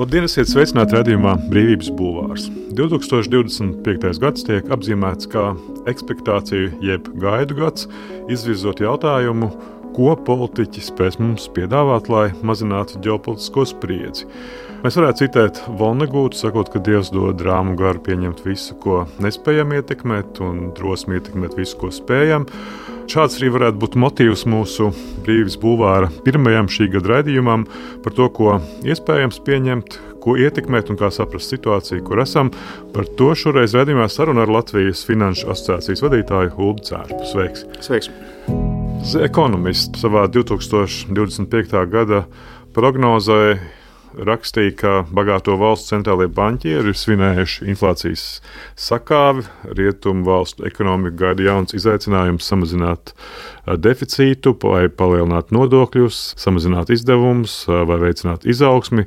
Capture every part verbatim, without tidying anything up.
Labdien, esiet sveicināti raidījumā Brīvības bulvārs. divtūkstoš divdesmit piektais gads tiek apzīmēts kā ekspektāciju jeb gaidu gads, izvirzot jautājumu, ko politiķi spēs mums piedāvāt, lai mazinātu ģeopolitisko spriedzi. Mēs varētu citēt Vonegūtu, sakot, ka Dievs dod rāmu garu pieņemt visu, ko nespējam ietekmēt, un drosmi ietekmēt visu, ko spējam. Šāds arī varētu būt motīvs mūsu Brīvības bulvāra pirmajam šī gada raidījumam par to, ko iespējams pieņemt, ko ietekmēt un kā saprast situāciju, kur esam. Par to šoreiz raidījumā saruna ar Latvijas Finanšu asociācijas vadītāju Uldi Cērpu. Sveiks! Sveiks! The Economist savā divtūkstoš divdesmit piektā gada prognozē rakstīja, ka bagāto valstu centrālie banķieri ir svinējuši inflācijas sakāvi, rietumu valstu ekonomiku gaida jauns izaicinājums samazināt deficītu, vai palielināt nodokļus, samazināt izdevumus vai veicināt izaugsmi.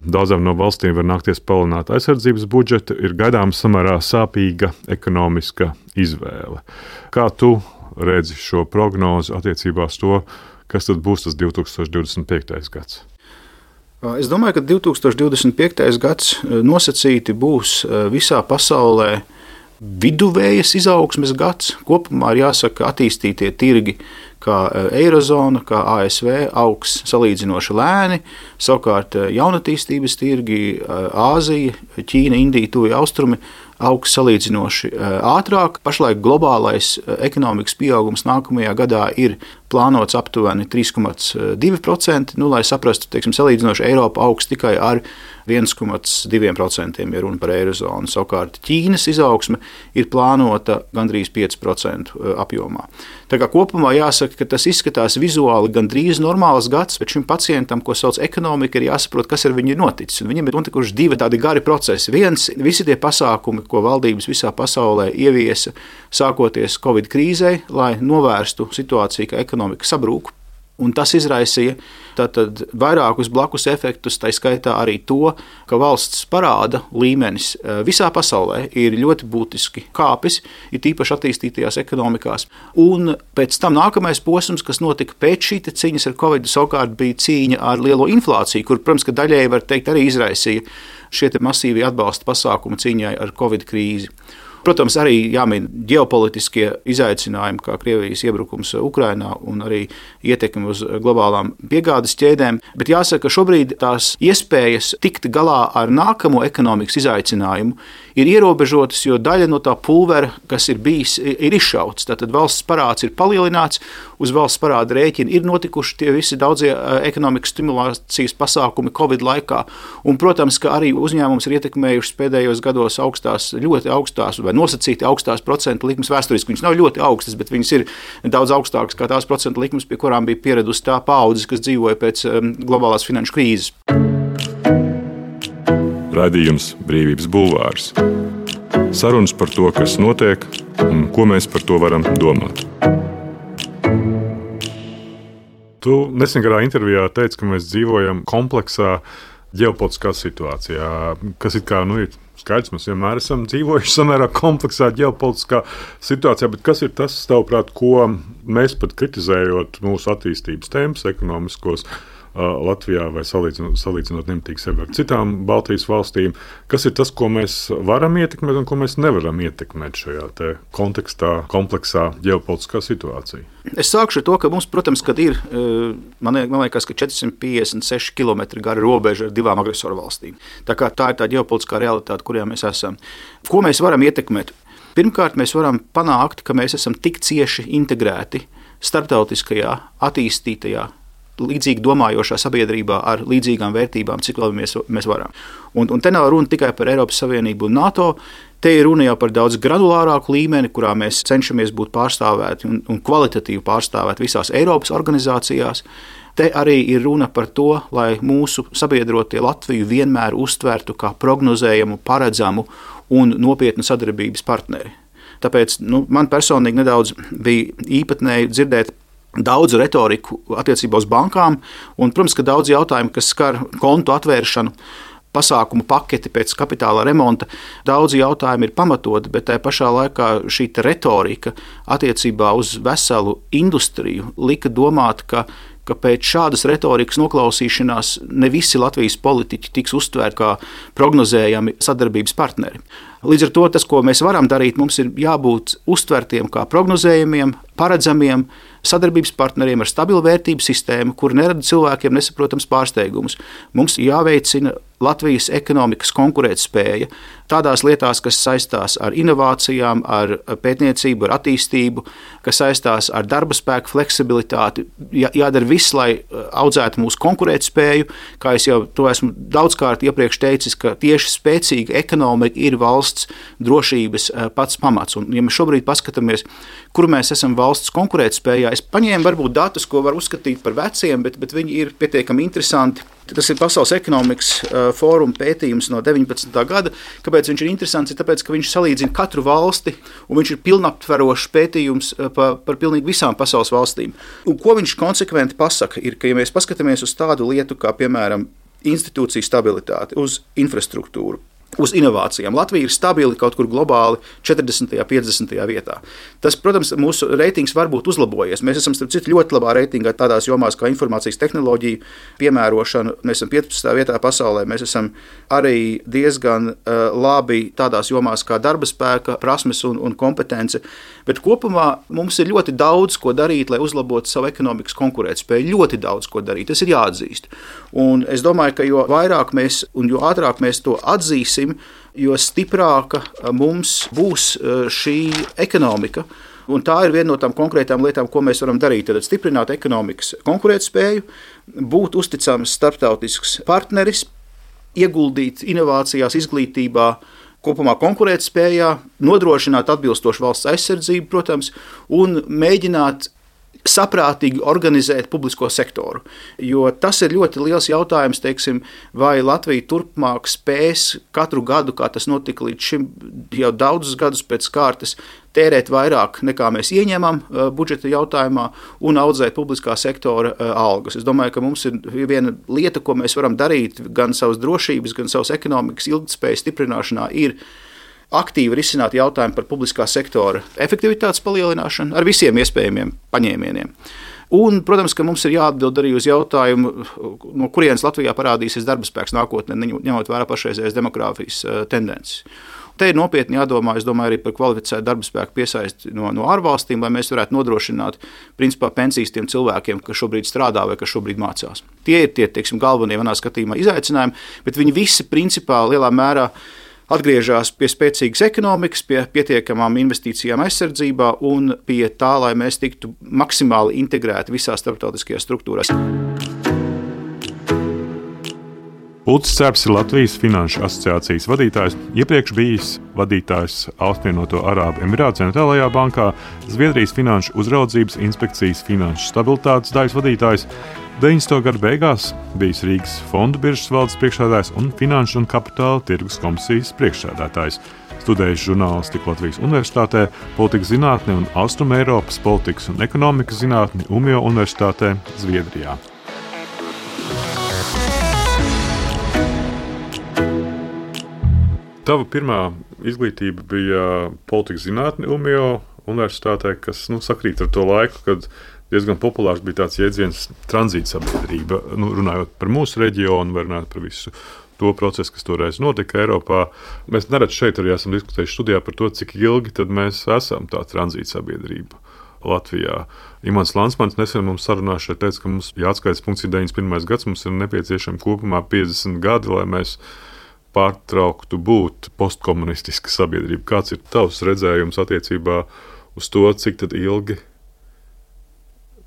Daudzām no valstīm var nākties palielināt aizsardzības budžetu, ir gaidāms samērā sāpīga ekonomiska izvēle. Kā tu redzi šo prognozi attiecībā uz to, kas tad būs tas divtūkstoš divdesmit piektais gads? Es domāju, ka divtūkstoš divdesmit piektais gads nosacīti būs visā pasaulē viduvējas izaugsmes gads. Kopumā ir jāsaka, attīstītie tirgi, kā Eirozona, kā A S V, augs salīdzinoši lēni. Savukārt jaunatīstības tirgi, Āzija, Ķīna, Indija, Tuvie Austrumi augs salīdzinoši ātrāk. Pašlaik globālais ekonomikas pieaugums nākamajā gadā ir plānots aptuveni trīs komats divi procenti. Nu, lai saprastu, teiksim, salīdzinoši Eiropa augs tikai ar viens komats divi procenti, ja runa par Eirozonu. Savukārt Ķīnas izaugsme ir plānota gandrīz pieci procenti apjomā. Tā kā kopumā jāsaka, ka tas izskatās vizuāli gandrīz normāls gads, bet šim pacientam, ko sauc ekonomika, ir jāsaprot, kas ar viņu ir noticis. Un viņam ir notikuši divi tādi gari procesi. Viens, visi tie pasākumi, ko valdības visā pasaulē ieviesa, sākoties Covid krīzei, lai novērstu situāciju, ka ekonomika sabrūk. Un tas izraisīja tātad vairākus blakus efektus, tā skaitā arī to, ka valsts parāda līmenis visā pasaulē ir ļoti būtiski kāpis, ir tīpaši attīstītajās ekonomikās. Un pēc tam nākamais posms, kas notika pēc šī cīņas ar Covid, savukārt bija cīņa ar lielo inflāciju, kur, protams, ka daļēji var teikt arī izraisīja šie masīvi atbalsta pasākumi cīņai ar Covid krīzi. Protams, arī jāmin ģeopolitiskie izaicinājumi, kā Krievijas iebrukums Ukrainā un arī ietekmi uz globālām piegādes ķēdēm, bet jāsaka, ka šobrīd tās iespējas tikt galā ar nākamo ekonomikas izaicinājumu ir ierobežotas, jo daļa no tā pulvera, kas ir bijis, ir izšauts. Tātad valsts parāds ir palielināts, uz valsts parāda rēķina ir notikuši tie visi daudzie ekonomikas stimulācijas pasākumi Covid laikā, un, protams, ka arī uzņēmums ir ietekmējušas pēdējos gados augstās, ļoti augstās vai nosacīti augstās procentu likmes vēsturiski. Viņas nav ļoti augstas, bet viņas ir daudz augstākas kā tās procentu likmes, pie kurām bija pieradusi tā paaudzes, kas dzīvoja pēc um, globālās finanšu krīzes. Raidījums Brīvības bulvārs. Sarunas par to, kas notiek un ko mēs par to varam domāt. Tu nesengarā intervijā teici, ka mēs dzīvojam kompleksā ģeopolitiskā situācijā, kas it kā nu, ir skaidrs, mēs vienmēr esam dzīvojuši samērā kompleksā ģeopolitiskā situācijā, bet kas ir tas, tavuprāt, ko mēs pat kritizējot mūsu attīstības tempus ekonomiskos Latvijā vai salīdzinot, salīdzinot nemitīgi sevi ar citām Baltijas valstīm, kas ir tas, ko mēs varam ietekmēt un ko mēs nevaram ietekmēt šajā te kontekstā, kompleksā ģeopolitiskā situācijā? Es sākšu ar to, ka mums, protams, kad ir, man liekas, ka četri simti piecdesmit seši kilometri gara robeža ar divām agresoru valstīm. Tā kā tā ir tā ģeopolitiskā realitāte, kurā mēs esam. Ko mēs varam ietekmēt? Pirmkārt, mēs varam panākt, ka mēs esam tik cieši integrēti starptautiskajā, attīstītajā, līdzīgi domājošā sabiedrībā ar līdzīgām vērtībām, cik labi mēs, mēs varam. Un, un te nav runa tikai par Eiropas Savienību un NATO, te ir runa jau par daudz granulārāku līmeni, kurā mēs cenšamies būt pārstāvēti un, un kvalitatīvi pārstāvēti visās Eiropas organizācijās. Te arī ir runa par to, lai mūsu sabiedrotie Latviju vienmēr uztvertu kā prognozējamu, paredzamu un nopietnu sadarbības partneri. Tāpēc nu, man personīgi nedaudz bija īpatnēji dzirdēt daudz retoriku attiecībā uz bankām, un, protams, ka daudz jautājumu, kas skar kontu atvēršanu, pasākumu paketi pēc kapitāla remonta, daudzi jautājumi ir pamatoti, bet tajā pašā laikā šī retorika attiecībā uz veselu industriju lika domāt, ka ka pēc šādas retorikas noklausīšanās ne visi Latvijas politiķi tiks uztvērti kā prognozējami sadarbības partneri. Līdz ar to tas, ko mēs varam darīt, mums ir jābūt uztvertiem kā prognozējumiem, paredzamiem sadarbības partneriem ar stabilu vērtību sistēmu, kur nerada cilvēkiem nesaprotams pārsteigumus. Mums jāveicina Latvijas ekonomikas konkurētspēja tādās lietās, kas saistās ar inovācijām, ar pētniecību, ar attīstību, kas saistās ar darba spēku fleksibilitāti. Jā, jādara viss, lai audzētu mūsu konkurētspēju. Kā es jau to esmu daudzkārt iepriekš teicis, ka tieši spēcīga ekonomika ir valsts drošības pats pamats. Un, ja mēs šobrīd paskatāmies, kur mēs esam valsts konkurētspējā, es paņēmu varbūt datus, ko var uzskatīt par veciem, bet, bet viņi ir pietiekami interesanti. Tas ir Pasaules ekonomikas fóruma pētījums no deviņpadsmitā gada. Kāpēc viņš ir interesants? Ir tāpēc, ka viņš salīdzina katru valsti, un viņš ir pilnaptverošs pētījums par, par pilnīgi visām pasaules valstīm. Un ko viņš konsekventi pasaka, ir, ka, ja mēs paskatāmies uz tādu lietu, kā, piemēram, institūciju stabilitāti, uz infrastruktūru, uz inovācijām. Latvija ir stabili kaut kur globāli četrdesmitajā, piecdesmitajā vietā. Tas, protams, mūsu reitings var būt uzlabojies. Mēs esam, starp citu, ļoti labā reitingā tādās jomās kā informācijas tehnoloģija piemērošana. Mēs esam piecpadsmitā vietā pasaulē. Mēs esam arī diezgan uh, labi tādās jomās kā darba spēka, prasmes un, un kompetence. Bet kopumā mums ir ļoti daudz, ko darīt, lai uzlabotu savu ekonomikas konkurētspēju. Ļoti daudz, ko darīt. Tas ir jāatzīst. Un es domāju, ka jo vairāk mēs un jo ātrāk mēs to atzīsim, jo stiprāka mums būs šī ekonomika. Un tā ir viena no tām konkrētām lietām, ko mēs varam darīt. Tad stiprināt ekonomikas konkurētspēju, būt uzticams starptautisks partneris, ieguldīt inovācijās, izglītībā, kopumā konkurētspējā, nodrošināt atbilstošu valsts aizsardzību, protams, un mēģināt saprātīgi organizēt publisko sektoru. Jo tas ir ļoti liels jautājums, teiksim, vai Latvija turpmāk spēs katru gadu, kā tas notika līdz šim jau daudzus gadus pēc kārtas, tērēt vairāk nekā mēs ieņemam budžeta jautājumā un audzēt publiskā sektora algas. Es domāju, ka mums ir viena lieta, ko mēs varam darīt gan savas drošības, gan savas ekonomikas ilgtspējas stiprināšanā, ir aktīvi risināt jautājumu par publiskā sektora efektivitātes palielināšanu ar visiem iespējamiem paņēmieniem. Un, protams, ka mums ir jāatbild arī uz jautājumu, no kurienes Latvijā parādīsies darba spēks nākotnē, ņemot vērā pašreizējās demogrāfijas tendences. Te ir nopietni jādomā, es domāju, arī par kvalificētu darba spēku piesaisti no, no ārvalstīm, lai mēs varētu nodrošināt principā pensijas tiem cilvēkiem, kas šobrīd strādā vai kas šobrīd mācās. Tie ir tie, teiksim, galvenie manā skatījumā izaicinājumi, bet viņi visi principā lielā mērā atgriežas pie spēcīgas ekonomikas, pie pietiekamām investīcijām aizsardzībā un pie tā, lai mēs tiktu maksimāli integrēti visās starptautiskajās struktūrās. Ulris Cērbs ir Latvijas Finanšu asociācijas vadītājs, iepriekš bijis vadītājs Apvienoto Arābu Emirātu centrālajā bankā, Zviedrijas Finanšu uzraudzības inspekcijas finanšu stabilitātes daļas vadītājs, deviņdesmito gadu beigās bijis Rīgas fondu biržas valdes priekšsēdētājs un Finanšu un kapitāla tirgus komisijas priekšsēdētājs. Studējis žurnālistiku Latvijas Universitātē, politikas zinātni un Austrum Eiropas politikas un ekonomikas zinātni Umjo Universitātē, Zviedrijā. Tava pirmā izglītība bija politikas zinātne Umjo Universitātē, kas nu, sakrīt ar to laiku, kad diezgan populārs bija tāds jēdziens tranzīta sabiedrība. Nu, runājot par mūsu reģionu, vai runājot par visu to procesu, kas toreiz notika Eiropā. Mēs nerad šeit arī esam diskutējuši studijā par to, cik ilgi tad mēs esam tā tranzīta sabiedrība Latvijā. Imants Lansmans nesen mums sarunā šeit teica, ka mums jāatskaits punkts ir deviņdesmit pirmais gads, mums ir nepieciešami kopumā piecdesmit gadi, lai mēs pārtrauktu būt postkomunistiska sabiedrība. Kāds ir tavs redzējums attiecībā uz to, cik tad ilgi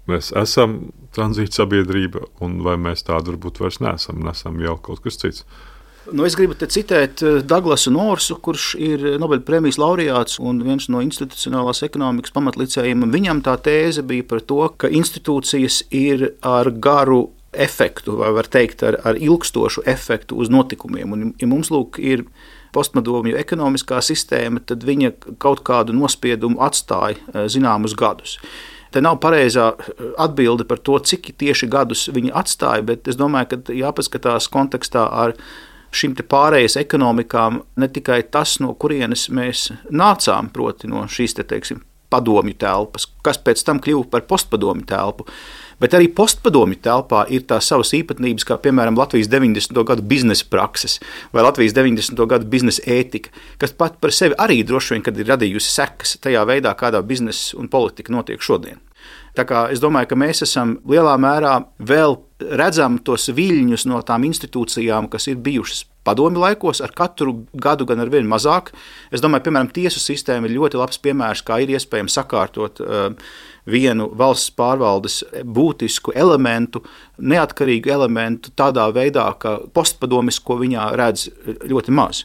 mēs esam tranzīta sabiedrība un vai mēs tādu varbūt vairs neesam un esam jau kaut kas cits? Nu, es gribu te citēt Daglasu Norsu, kurš ir Nobela prēmijas laureāts un viens no institucionālās ekonomikas pamatlicējiem. Viņam tā tēze bija par to, ka institūcijas ir ar garu efektu, vai var teikt ar, ar ilgstošu efektu uz notikumiem. Un, ja mums lūk ir postpadomju ekonomiskā sistēma, tad viņa kaut kādu nospiedumu atstāja zināmus gadus. Te nav pareizā atbilde par to, cik tieši gadus viņi atstāja, bet es domāju, ka jāpaskatās kontekstā ar šīm te pārējas ekonomikām ne tikai tas, no kurienes mēs nācām, proti no šīs te, teiksim, padomju telpas, kas pēc tam kļuva par postpadomju telpu, Bet arī postpadomju telpā ir tās savas īpatnības, kā piemēram Latvijas deviņdesmito gadu biznesa prakses vai Latvijas deviņdesmito gadu biznesa ētika, kas pat par sevi arī droši vien, kad ir radījusi sekas tajā veidā, kādā biznesa un politika notiek šodien. Tā kā es domāju, ka mēs esam lielā mērā vēl redzam tos viļņus no tām institūcijām, kas ir bijušas padomju laikos, ar katru gadu gan ar vien mazāk. Es domāju, piemēram, tiesu sistēma ir ļoti labs piemērs, kā ir iespējams sakārtot uh, vienu valsts pārvaldes būtisku elementu, neatkarīgu elementu tādā veidā, ka postpadomisko viņā redz ļoti maz.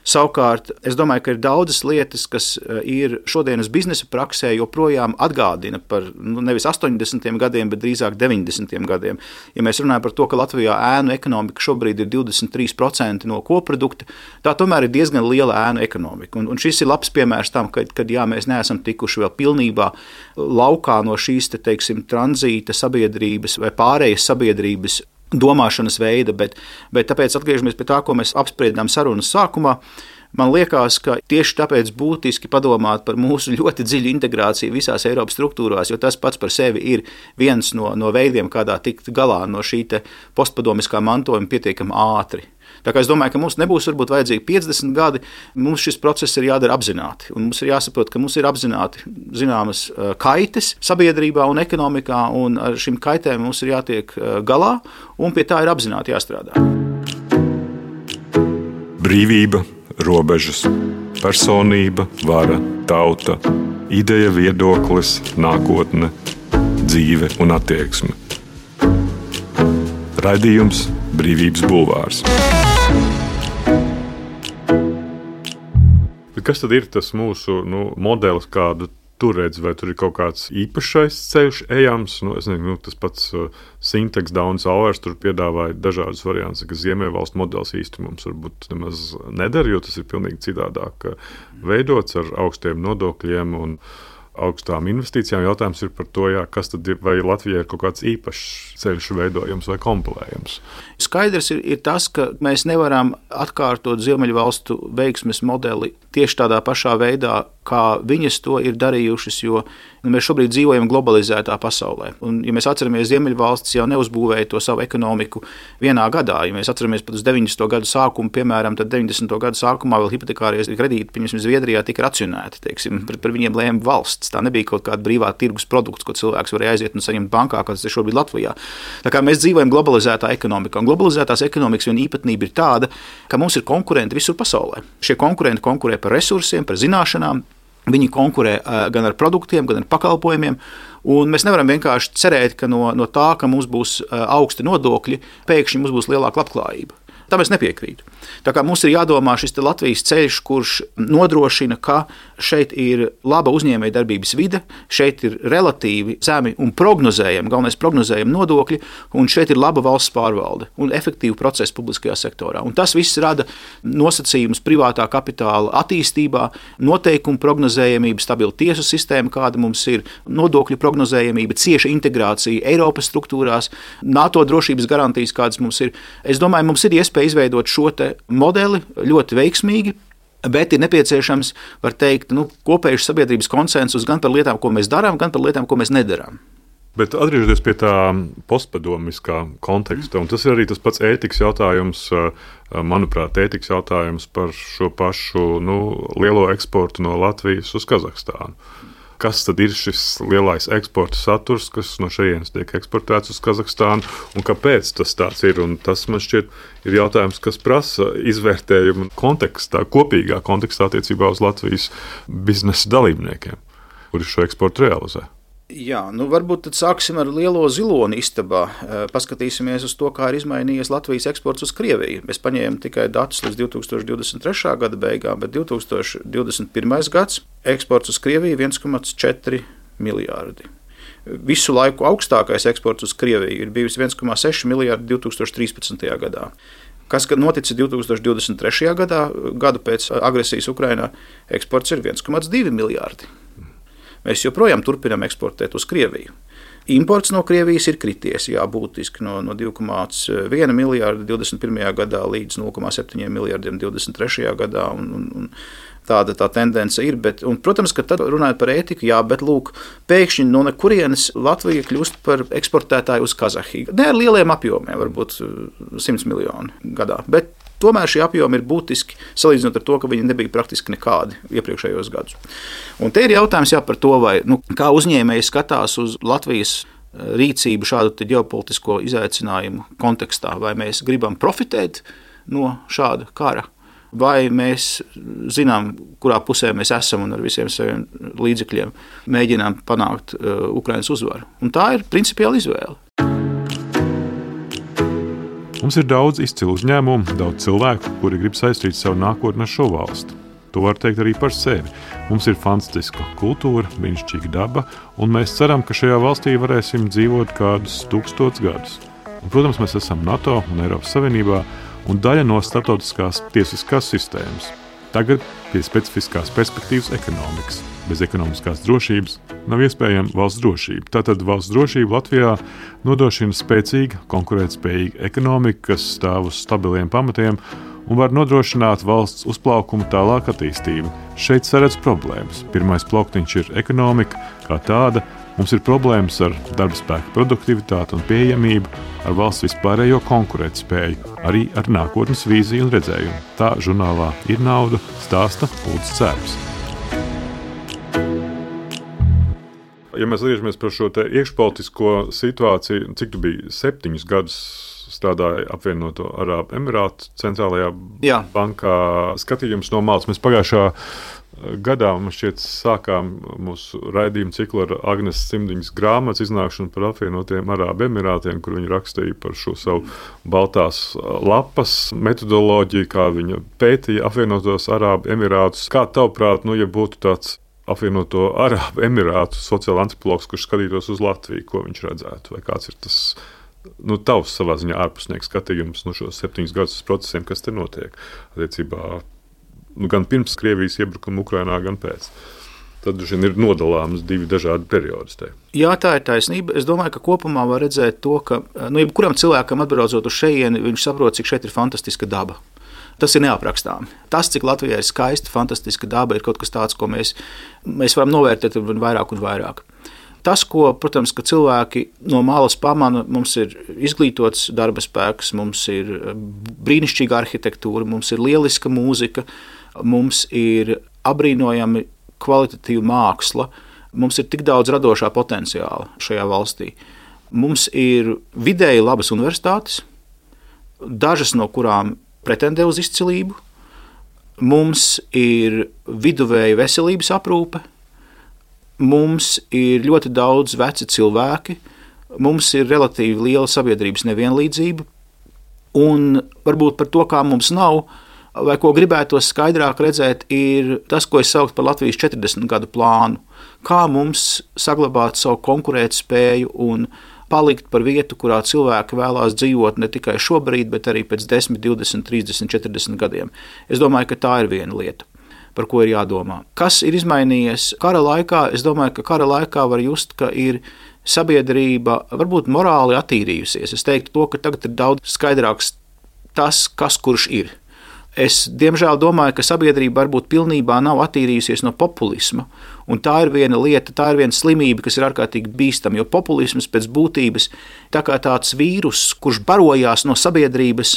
Savukārt, es domāju, ka ir daudzas lietas, kas ir šodienas biznesa praksē joprojām atgādina par nu, nevis astoņdesmitiem gadiem, bet drīzāk deviņdesmitiem gadiem. Ja mēs runājam par to, ka Latvijā ēnu ekonomika šobrīd ir divdesmit trīs procenti no koprodukta, tā tomēr ir diezgan liela ēnu ekonomika. Un, un šis ir labs piemērs tam, kad, kad jā, mēs neesam tikuši vēl pilnībā laukā no šīs, te, teiksim, tranzīta sabiedrības vai pārējas sabiedrības domāšanas veida, bet, bet tāpēc atgriežamies pie tā, ko mēs apspriedām sarunas sākumā. Man liekas, ka tieši tāpēc būtiski padomāt par mūsu ļoti dziļu integrāciju visās Eiropas struktūrās, jo tas pats par sevi ir viens no, no veidiem, kādā tikt galā no šī te postpadomiskā mantojuma pietiekami ātri. Tā kā es domāju, ka mums nebūs varbūt vajadzīgi piecdesmit gadi, mums šis process ir jādara apzināti. Un mums ir jāsaprot, ka mums ir apzināti zināmas kaites sabiedrībā un ekonomikā, un ar šīm kaitēm mums ir jātiek galā, un pie tā ir apzināti jāstrādā. Brīvība, robežas, personība, vara, tauta, ideja, viedoklis, nākotne, dzīve un attieksme. Raidījums Brīvības bulvārs. Kas tad ir tas mūsu nu, modelis, kādu tu redzi, vai tur ir kaut kāds īpašais ceļš ejams? Nu, es nezinu, nu, tas pats uh, Syntax Downs Hours tur piedāvāja dažādas variantus, ka Ziemeļvalstu modelis īsti mums varbūt nemaz nedara, jo tas ir pilnīgi citādāk veidots ar augstiem nodokļiem un augstām investīcijām. Jautājums ir par to, jā, kas tad ir, vai Latvijai ir kaut kāds īpašs ceļš veidojams vai kompilējams. Skaidrs ir, ir tas, ka mēs nevaram atkārtot Ziemeļvalstu veiksmes modeli tieši tādā pašā veidā, kā viņas to ir darījušas, jo mēs šobrīd dzīvojam globalizētā pasaulē. Un, ja mēs atceramies, Ziemeļvalstis jau neuzbūvēja to savu ekonomiku vienā gadā. Ja mēs atceramies pat uz deviņdesmito gadu sākumu, piemēram, tad deviņdesmito gadu sākumā vēl hipotekārie kredīti, piemēram, Zviedrijā tika racionēti, teiksim, par, par viņiem lēma valsts. Tā nebija kaut kāda brīvā tirgus produkts, ko cilvēks varēja aiziet un saņemt bankā, kas ir šobrīd Latvijā. Tā kā mēs dzīvojam globalizētā ekonomikā. Un globalizētās ekonomikas viena īpatnība ir tāda, ka mums ir konkurenti visur pasaulē. Šie konkurenti konkurē par resursiem, par zināšanām. Viņi konkurē gan ar produktiem, gan ar pakalpojumiem. Un mēs nevaram vienkārši cerēt, ka no, no tā, ka mums būs augsti nodokļi, pēkšņi mums būs lielāka labklājība. Tam es nepiekrītu. Tā kā mums ir jādomā šis Latvijas ceļš, kurš nodrošina, ka šeit ir laba uzņēmējdarbības vide, šeit ir relatīvi zemi un prognozējami, galvenais prognozējami nodokļi, un šeit ir laba valsts pārvalde un efektīva procesa publiskajā sektorā. Un tas viss rada nosacījumus privātā kapitāla attīstībā, noteikumu prognozējamību, stabilu tiesu sistēmu, kāda mums ir, nodokļu prognozējamība, cieša integrācija Eiropas struktūrās, NATO drošības garantijas, kādas mums ir. Es domāju, mums ir iespēja izveidot šo te modeli ļoti veiksmīgi, bet ir nepieciešams, var teikt, nu, kopējs sabiedrības konsensus gan par lietām, ko mēs darām, gan par lietām, ko mēs nedarām. Bet atgriežoties pie tā postpadomiskā konteksta, un tas ir arī tas pats ētikas jautājums, manuprāt, ētikas jautājums par šo pašu nu, lielo eksportu no Latvijas uz Kazahstānu. Kas tad ir šis lielais eksporta saturs, kas no šejienes tiek eksportēts uz Kazahstānu, un kāpēc tas tāds ir? Un tas, man šķiet, ir jautājums, kas prasa izvērtējumu kontekstā, kopīgā kontekstā attiecībā uz Latvijas biznesa dalībniekiem, kuri šo eksportu realizē. Jā, nu varbūt tad sāksim ar lielo ziloni istabā. Paskatīsimies uz to, kā ir izmainījies Latvijas eksports uz Krieviju. Mēs paņēmām tikai datus līdz divi tūkstoši divdesmit trešā gada beigām, bet divi tūkstoši divdesmit pirmais gads eksports uz Krieviju viens komats četri miljārdi. Visu laiku augstākais eksports uz Krieviju ir bijis viens komats seši miljārdi divi tūkstoši trīspadsmitajā gadā. Kas noticis divi tūkstoši divdesmit trešajā gadā, gadu pēc agresijas Ukrainā, eksports ir viens komats divi miljārdi. Mēs joprojām turpinām eksportēt uz Krieviju. Imports no Krievijas ir krities, jā, būtiski no, no divi komā viens miljārdi divdesmit pirmajā gadā līdz nulle komā septiņi miljardiem divdesmit trešajā gadā. Un, un, un tāda tā tendence ir. Bet, un, protams, ka tad runājot par ētiku, jā, bet lūk, pēkšņi no nekurienes Latvija kļūst par eksportētāju uz Kazahiju. Ne ar lieliem apjomiem, varbūt simts miljoni gadā. Bet tomēr šie apjomi ir būtiski salīdzinot ar to, ka viņi nebija praktiski nekādi iepriekšējos gadus. Un te ir jautājums jā, par to, vai, nu, kā uzņēmēji skatās uz Latvijas rīcību šādu ģeopolitisko izaicinājumu kontekstā. Vai mēs gribam profitēt no šāda kara, vai mēs zinām, kurā pusē mēs esam un ar visiem saviem līdzekļiem mēģinām panākt uh, Ukrainas uzvaru. Un tā ir principiāla izvēle. Mums ir daudz izcilu uzņēmumu, daudz cilvēku, kuri grib saistīt savu nākotni ar šo valsti. To var teikt arī par sevi. Mums ir fantastiska kultūra, brīnišķīga daba, un mēs ceram, ka šajā valstī varēsim dzīvot kādus tūkstotus gadus. Un, protams, mēs esam NATO un Eiropas Savienībā un daļa no starptautiskās tiesiskās sistēmas. Tagad pie specifiskās perspektīvas ekonomikas. Bez ekonomiskās drošības nav iespējama valsts drošība. Tātad valsts drošība Latvijā nodrošina spēcīga, konkurētspējīga ekonomika, kas stāv uz stabiliem pamatiem un var nodrošināt valsts uzplaukumu tālāk attīstību. Šeit saredz problēmas. Pirmais plauktiņš ir ekonomika kā tāda. Mums ir problēmas ar darba spēka produktivitāti un pieejamību, ar valsts vispārējo konkurētspēju, arī ar nākotnes vīziju un redzējumu. Tā žurnālā Ir nauda stāsta Ulds Cērps. Ja mēs liežamies par šo te iekšpolitisko situāciju, cik tu biji septiņus gadus strādāja apvienoto Arābu Emirātu centrālajā Jā. bankā, skatījums no malas. Mēs pagājušā gadā mums šķiet sākām mūsu raidījumu ciklu ar Agnes Cimdiņas grāmatas iznākšanu par apvienotiem Arābu Emirātiem, kur viņi rakstīja par šo savu baltās lapas metodoloģiju, kā viņa pētīja apvienotos Arābu Emirātus. Kā tavuprāt, nu, ja būtu tāds apvienoto Arābu Emirātu sociāla antropologs, kurš skatītos uz Latviju, ko viņš redzētu, vai kāds ir tas nu, tavs savā ziņā ārpusnieks skatījums no šos septiņus gadus procesiem, kas te notiek attiecībā nu, gan pirms Krievijas iebrukuma Ukrainā, gan pēc. Tad ir nodalāms divi dažādi periodi. Te. Jā, tā ir taisnība. Es domāju, ka kopumā var redzēt to, ka nu, jebkuram cilvēkam atbraucot uz šejieni, viņš saprot, cik šeit ir fantastiska daba. Tas ir neaprakstāmi. Tas, cik Latvijā ir skaista, fantastiska daba, ir kaut kas tāds, ko mēs, mēs varam novērtēt vairāk un vairāk. Tas, ko, protams, ka cilvēki no malas pamana, mums ir izglītots darba spēks, mums ir brīnišķīga arhitektūra, mums ir lieliska mūzika, mums ir abrīnojami kvalitatīva māksla, mums ir tik daudz radošā potenciāla šajā valstī. Mums ir vidēji labas universitātes, dažas no kurām pretendē uz izcilību, mums ir viduvēja veselības aprūpe, mums ir ļoti daudz veci cilvēki, mums ir relatīvi liela sabiedrības nevienlīdzība, un varbūt par to, kā mums nav, vai ko gribētos skaidrāk redzēt, ir tas, ko es sauktu par Latvijas četrdesmit gadu plānu. Kā mums saglabāt savu konkurētspēju un palikt par vietu, kurā cilvēki vēlās dzīvot ne tikai šobrīd, bet arī pēc desmit, divdesmit, trīsdesmit, četrdesmit gadiem. Es domāju, ka tā ir viena lieta, par ko ir jādomā. Kas ir izmainījies kara laikā? Es domāju, ka kara laikā var just, ka ir sabiedrība varbūt morāli attīrījusies. Es teiktu to, ka tagad ir daudz skaidrāks tas, kas kurš ir. Es, diemžēl, domāju, ka sabiedrība varbūt pilnībā nav attīrījusies no populisma, un tā ir viena lieta, tā ir viena slimība, kas ir ārkārtīgi bīstama, jo populisms pēc būtības tā kā tāds vīrus, kurš barojās no sabiedrības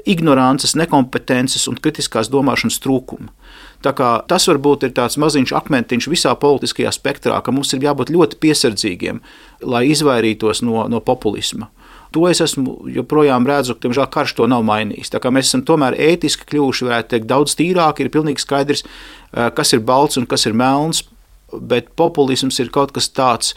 ignorances, nekompetences un kritiskās domāšanas trūkuma. Tā kā tas varbūt ir tāds maziņš akmentiņš visā politiskajā spektrā, ka mums ir jābūt ļoti piesardzīgiem, lai izvairītos no, no populisma. To es esmu joprojām redzu, ka, diemžēl, karš to nav mainījis. Tā kā mēs esam tomēr ētiski kļuvuši, varētu teikt, daudz tīrāki, ir pilnīgi skaidrs, kas ir balts un kas ir melns, bet populisms ir kaut kas tāds,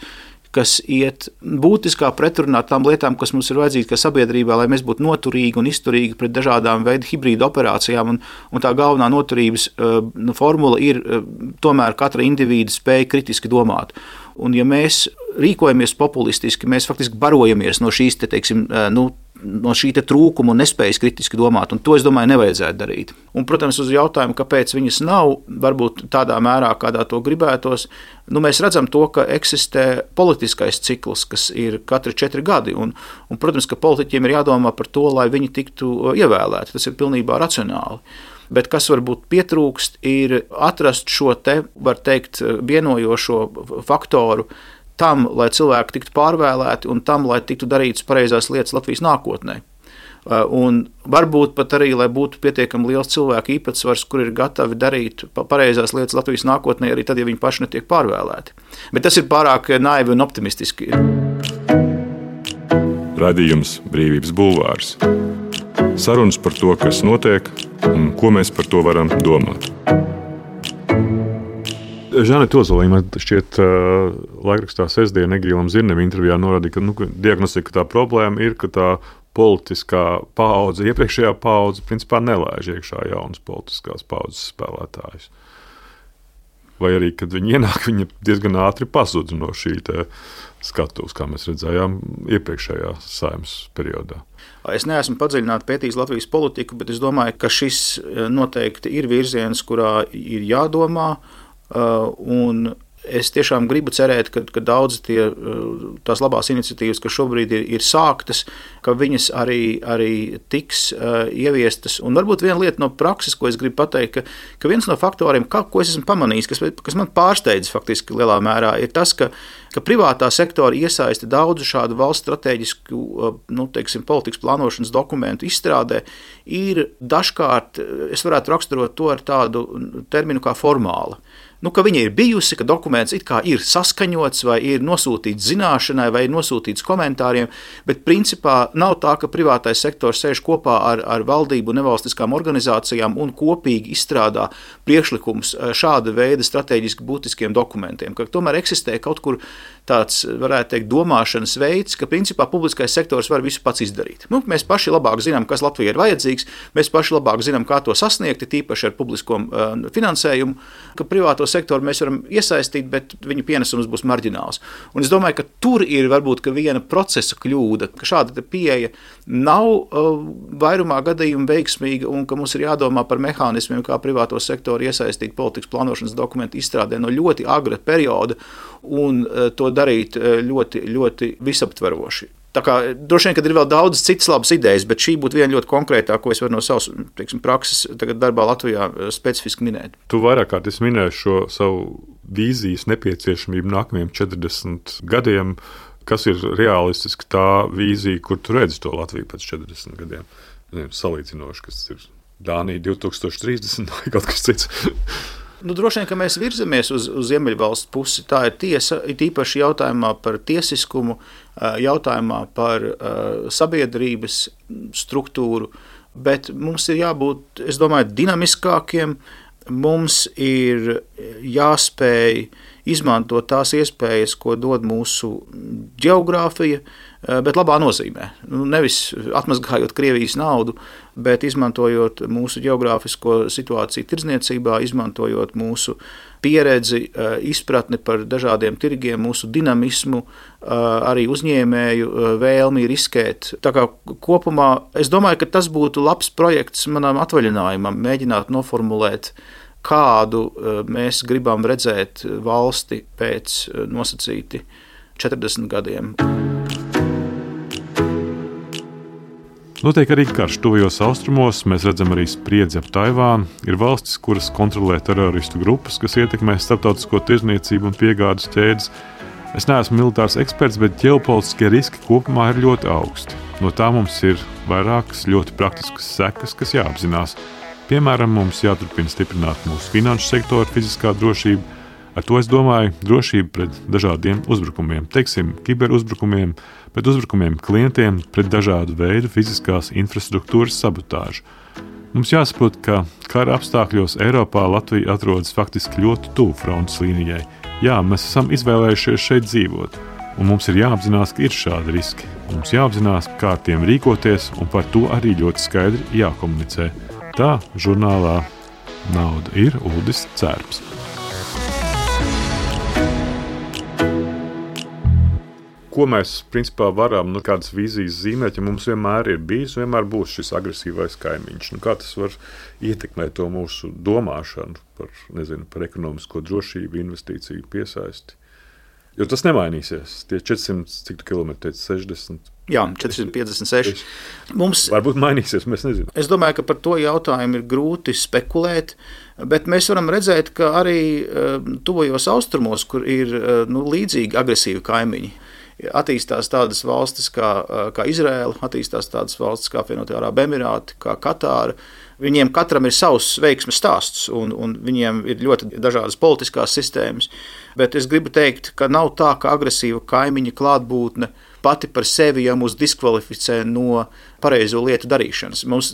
kas iet būtiskā pretrunā tām lietām, kas mums ir vajadzīgas kā sabiedrībā, lai mēs būtu noturīgi un izturīgi pret dažādām veidu hibrīdu operācijām, un, un tā galvenā noturības uh, formula ir uh, tomēr katra indivīda spēja kritiski domāt. Un ja mēs rīkojamies populistiski, mēs faktiski barojamies no šīs, te, teiksim, nu, no šī trūkuma un nespējas kritiski domāt, un to, es domāju, nevajadzētu darīt. Un, protams, uz jautājumu, kāpēc viņas nav, varbūt tādā mērā, kādā to gribētos, nu, mēs redzam to, ka eksistē politiskais cikls, kas ir katri četri gadi, un, un, protams, ka politiķiem ir jādomā par to, lai viņi tiktu ievēlēti. Tas ir pilnībā racionāli. Bet kas varbūt pietrūkst, ir atrast šo te, var teikt, vienojošo faktoru tam, lai cilvēki tiktu pārvēlēti un tam, lai tiktu darītas pareizās lietas Latvijas nākotnē. Un varbūt pat arī, lai būtu pietiekami liels cilvēku īpatsvars, kur ir gatavi darīt pareizās lietas Latvijas nākotnē, arī tad, ja viņi paši netiek pārvēlēti. Bet tas ir pārāk naivi un optimistiski. Radījums Brīvības bulvārs. Sarunas par to, kas notiek un ko mēs par to varam domāt. Žaneta Ozoliņa, man šķiet, laikrakstā sestdien Egīlam Zirnim intervijā norādīja, ka nu, diagnostika tā problēma ir, ka tā politiskā paudze, iepriekšējā paudze, principā nelaiž iekšā jaunas politiskās paudzes spēlētājus. Vai arī, kad viņi ienāk, viņi diezgan ātri pazudz no šī skatuves, kā mēs redzējām iepriekšējā Saeimas periodā. Es neesmu padziļināti pētījis Latvijas politiku, bet es domāju, ka šis noteikti ir virziens, kurā ir jādomā. Uh, un es tiešām gribu cerēt, ka, ka daudz tie, tās labās iniciatīvas, kas šobrīd ir, ir sāktas, ka viņas arī, arī tiks uh, ieviestas. Un varbūt viena lieta no prakses, ko es gribu pateikt, ka, ka viens no faktoriem, kā, ko es esmu pamanījis, kas, kas man pārsteidz faktiski lielā mērā, ir tas, ka, ka privātā sektora iesaiste daudzu šādu valsts strateģisku, nu, teiksim, politikas plānošanas dokumentu izstrādē, ir dažkārt, es varētu raksturot to ar tādu terminu kā formāla. Nu, ka viņa ir bijusi, ka dokuments it kā ir saskaņots, vai ir nosūtīts zināšanai, vai ir nosūtīts komentāriem, bet principā nav tā, ka privātais sektors sēž kopā ar, ar valdību un nevalstiskām organizācijām un kopīgi izstrādā priekšlikums šāda veida strateģiski būtiskiem dokumentiem, ka tomēr eksistē kaut kur tāds, varētu teikt, domāšanas veids, ka principā publiskais sektors var visu pats izdarīt. Nu, mēs paši labāk zinām, kas Latvijai ir vajadzīgs, mēs paši labāk zinām, kā to sasniegt, tīpaši ar publisko uh, finansējumu, ka privāto sektoru mēs varam iesaistīt, bet viņa pienesums būs marģināls. Un es domāju, ka tur ir varbūt ka viena procesa kļūda, ka šāda pieeja nav uh, vairumā gadījumu veiksmīga un ka mums ir jādomā par mehānismiem, kā privāto sektoru iesaistīt politikas plānošanas dokumentu izstrādē no ļoti agra perioda un uh, to darīt ļoti, ļoti visaptveroši. Tā kā droši vien, kad ir vēl daudz citas labas idejas, bet šī būtu viena ļoti konkrētā, ko es varu no savas, teiksim, prakses tagad darbā Latvijā specifiski minēt. Tu vairāk kārt esi minējis šo savu vīzijas nepieciešamību nākamajiem četrdesmit gadiem. Kas ir realistiski tā vīzija, kur tu redzi to Latviju pēc četrdesmit gadiem? Salīdzinoši, kas ir Dānija divs tūkstoši trīsdesmit vai kaut kas cits. Nu, droši vien, ka mēs virzamies uz, uz Ziemeļvalstu pusi. Tā ir tiesa, it īpaši jautājumā par tiesiskumu, jautājumā par uh, sabiedrības struktūru, bet mums ir jābūt, es domāju, dinamiskākiem, mums ir jāspēj izmantot tās iespējas, ko dod mūsu ģeogrāfija, bet labā nozīmē. Nevis atmazgājot Krievijas naudu, bet izmantojot mūsu ģeogrāfisko situāciju tirdzniecībā, izmantojot mūsu pieredzi, izpratni par dažādiem tirgiem, mūsu dinamismu, arī uzņēmēju vēlmi riskēt. Tā kā kopumā es domāju, ka tas būtu labs projekts manam atvaļinājumam, mēģināt noformulēt, kādu mēs gribam redzēt valsti pēc nosacīti četrdesmit gadiem. Notiek arī karš tuvajos austrumos, mēs redzam arī spriedzi ap Taivānu. Ir valstis, kuras kontrolē teroristu grupas, kas ietekmē starptautisko tirdzniecību un piegādes ķēdes. Es neesmu militārs eksperts, bet ģeopolitiskie riski kopumā ir ļoti augsti. No tā mums ir vairākas ļoti praktiskas sekas, kas jāapzinās. Piemēram, mums jāturpina stiprināt mūsu finanšu sektoru fiziskā drošība. Ar to es domāju drošību pret dažādiem uzbrukumiem, teiksim, kiberuzbrukumiem, pret uzbrukumiem klientiem, pret dažādu veidu fiziskās infrastruktūras sabotāžu. Mums jāsaprot, ka kara apstākļos Eiropā Latvija atrodas faktiski ļoti tuvu frontes līnijai. Jā, mēs esam izvēlējušies šeit dzīvot, un mums ir jāapzinās, ka ir šādi riski. Mums jāapzinās, kā ar tiem rīkoties, un par to arī ļoti skaidri jākomunicē. Tā žurnālā Nauda ir Uldis Cērps. ko mēs principā varam, nu, kādas vīzijas zīmēt, ja mums vienmēr ir bijis, vienmēr būs šis agresīvais kaimiņš. Nu, kā tas var ietekmēt to mūsu domāšanu par, nezinu, par ekonomisko drošību, investīciju piesaisti? Jo tas nemainīsies. Tie četrsimt, cik tu kilometri teici, sešdesmit? Jā, četri piecdesmit seši. Mums, varbūt mainīsies, mēs nezinām. Es domāju, ka par to jautājumu ir grūti spekulēt, bet mēs varam redzēt, ka arī tuvajos austrumos, kur ir nu, līdzīgi agresīvi kaimiņi, attīstās tādas valstis kā, kā Izraela, attīstās tādas valstis kā Apvienotie Arābu Emirāti, kā Katāra. Viņiem katram ir savs veiksmes stāsts, un, un viņiem ir ļoti dažādas politiskās sistēmas. Bet es gribu teikt, ka nav tā, ka agresīva kaimiņa klātbūtne pati par sevi jau mūs diskvalificē no pareizo lietu darīšanas. Mums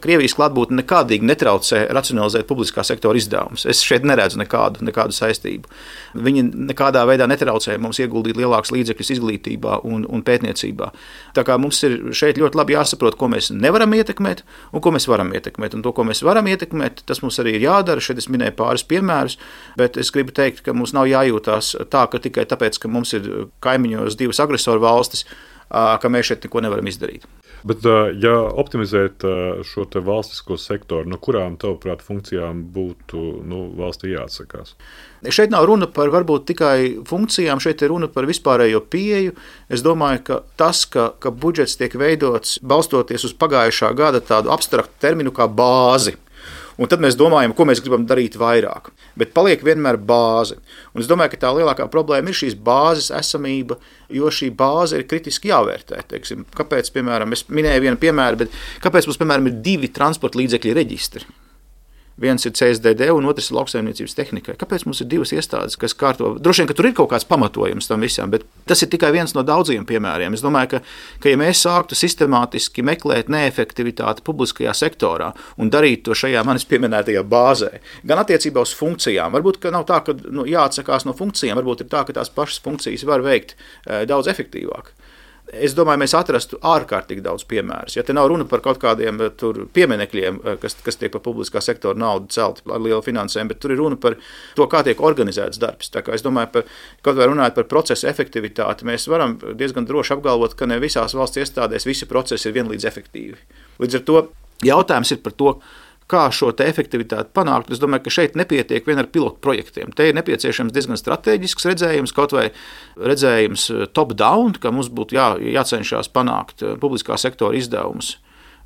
Krievijas klātbūtne nekādīgi netraucē racionalizēt publiskā sektora izdevumus. Es šeit neredzu nekādu, nekādu saistību. Viņi nekādā veidā netraucē mums ieguldīt lielākus līdzekļus izglītībā un, un pētniecībā. Tā kā mums ir šeit ļoti labi jāsaprot, ko mēs nevaram ietekmēt un ko mēs varam ietekmēt. Un to, ko mēs varam ietekmēt, tas mums arī ir jādara. Šeit es minēju pāris piemērus, bet es gribu teikt, ka mums nav jājūtās tā, ka tikai tāpēc, ka mums ir kaimiņos divas agresoru valstis, ka mēs šeit neko nevaram izdarīt. Bet, ja optimizēt šo te valstisko sektoru, no kurām, tavuprāt, funkcijām būtu nu, valstī jāatsakās? Šeit nav runa par varbūt tikai funkcijām, šeit ir runa par vispārējo pieeju. Es domāju, ka tas, ka, ka budžets tiek veidots balstoties uz pagājušā gada tādu abstraktu terminu kā bāzi. Un tad mēs domājam, ko mēs gribam darīt vairāk. Bet paliek vienmēr bāze. Un es domāju, ka tā lielākā problēma ir šīs bāzes esamība, jo šī bāze ir kritiski jāvērtē. Teiksim, kāpēc, piemēram, es minēju vienu piemēru, bet kāpēc mums, piemēram, ir divi transporta līdzekļu reģistri? Viens ir C S D D un otrs ir lauksaimniecības tehnikai. Kāpēc mums ir divas iestādes, kas kārto? Droši vien, ka tur ir kaut kāds pamatojums tam visam, bet tas ir tikai viens no daudziem piemēriem. Es domāju, ka, ka ja mēs sāktu sistemātiski meklēt neefektivitāti publiskajā sektorā un darīt to šajā manis pieminētajā bāzē, gan attiecībā uz funkcijām, varbūt, ka nav tā, ka nu, jāatsakās no funkcijām, varbūt ir tā, ka tās pašas funkcijas var veikt e, daudz efektīvāk. Es domāju, mēs atrastu ārkārtīgi daudz piemērus. Ja te nav runa par kaut kādiem tur pieminekļiem, kas, kas tiek par publiskā sektora naudu celti ar lielu finansējumu, bet tur ir runa par to, kā tiek organizēts darbs. Tā kā es domāju, par, kaut vai runājot par procesu efektivitāti, mēs varam diezgan droši apgalvot, ka ne visās valsts iestādēs visi procesi ir vienlīdz efektīvi. Līdz ar to jautājums ir par to, kā šo te efektivitāti panākt. Es domāju, ka šeit nepietiek vien ar pilotu projektiem. Te ir nepieciešams diezgan strateģisks redzējums, kaut vai redzējums top-down, ka mums būtu jā, jācenšas panākt publiskā sektora izdevumus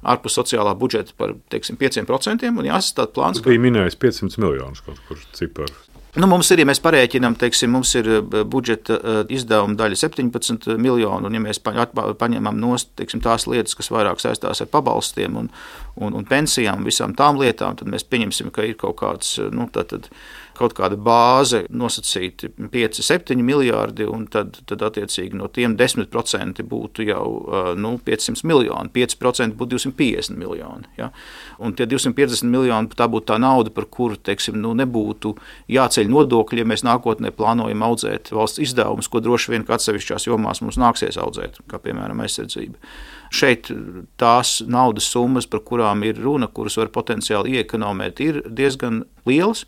ārpus sociālā budžeta par, teiksim, pieciem procentiem un jāsastāda plāns. Tas bija minējis piecsimt miljonus kaut kur ciparu. Nu, mums ir, ja mēs parēķinām, teiksim, mums ir budžeta izdevuma daļa septiņpadsmit miljoni, un ja mēs paņemam nost, teiksim, tās lietas, kas vairāk saistās ar pabalstiem un, un, un pensijām un visām tām lietām, tad mēs pieņemsim, ka ir kaut kāds, nu, tad, kaut kāda bāze nosacīti pieci septiņi miljārdi, un tad, tad attiecīgi no tiem desmit procenti būtu jau nu, piecsimt miljoni, pieci procenti būtu divsimt piecdesmit miljoni. Ja? Un tie divsimt piecdesmit miljoni, tā būtu tā nauda, par kuru, teiksim, nu, nebūtu jāceļ nodokļi, ja mēs nākotnē plānojam audzēt valsts izdevumus, ko droši vien atsevišķās jomās mums nāksies audzēt, kā piemēram aizsardzība. Šeit tās naudas summas, par kurām ir runa, kuras var potenciāli iekonomēt, ir diezgan lielas.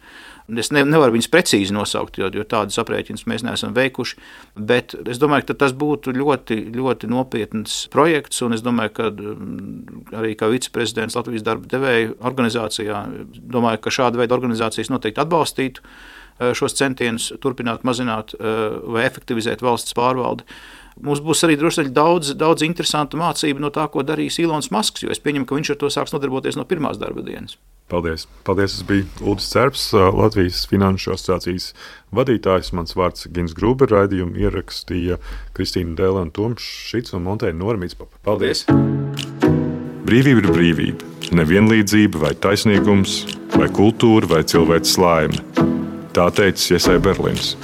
Es ne, nevaru viņus precīzi nosaukt, jo, jo tādas aprēķinas mēs neesam veikuši, bet es domāju, ka tas būtu ļoti, ļoti nopietns projekts, un es domāju, ka arī kā viceprezidents Latvijas darba devēju organizācijā, domāju, ka šāda veida organizācijas noteikti atbalstītu šos centienus turpināt mazināt vai efektivizēt valsts pārvaldi. Mums būs arī droši vien daudz, daudz interesantu mācību no tā, ko darīs Ilons Masks, jo es pieņemu, ka viņš ar to sāks nodarboties no pirmās darba dienas. Paldies. Paldies. Es biju Uldis Cerps, Latvijas Finanšu asociācijas vadītājs. Mans vārds Gins Gruber, raidījumu ierakstīja Kristīna Dēlēna Tomšits un Monteina Noramīts. Paldies. Brīvība ir brīvība. Nevienlīdzība vai taisnīgums, vai kultūra, vai cilvēks laime. Tā teicis Jesai Berlins.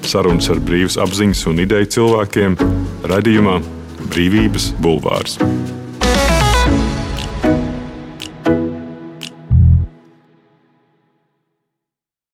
Sarunas ar brīvas apziņas un ideju cilvēkiem raidījumā Brīvības bulvārs.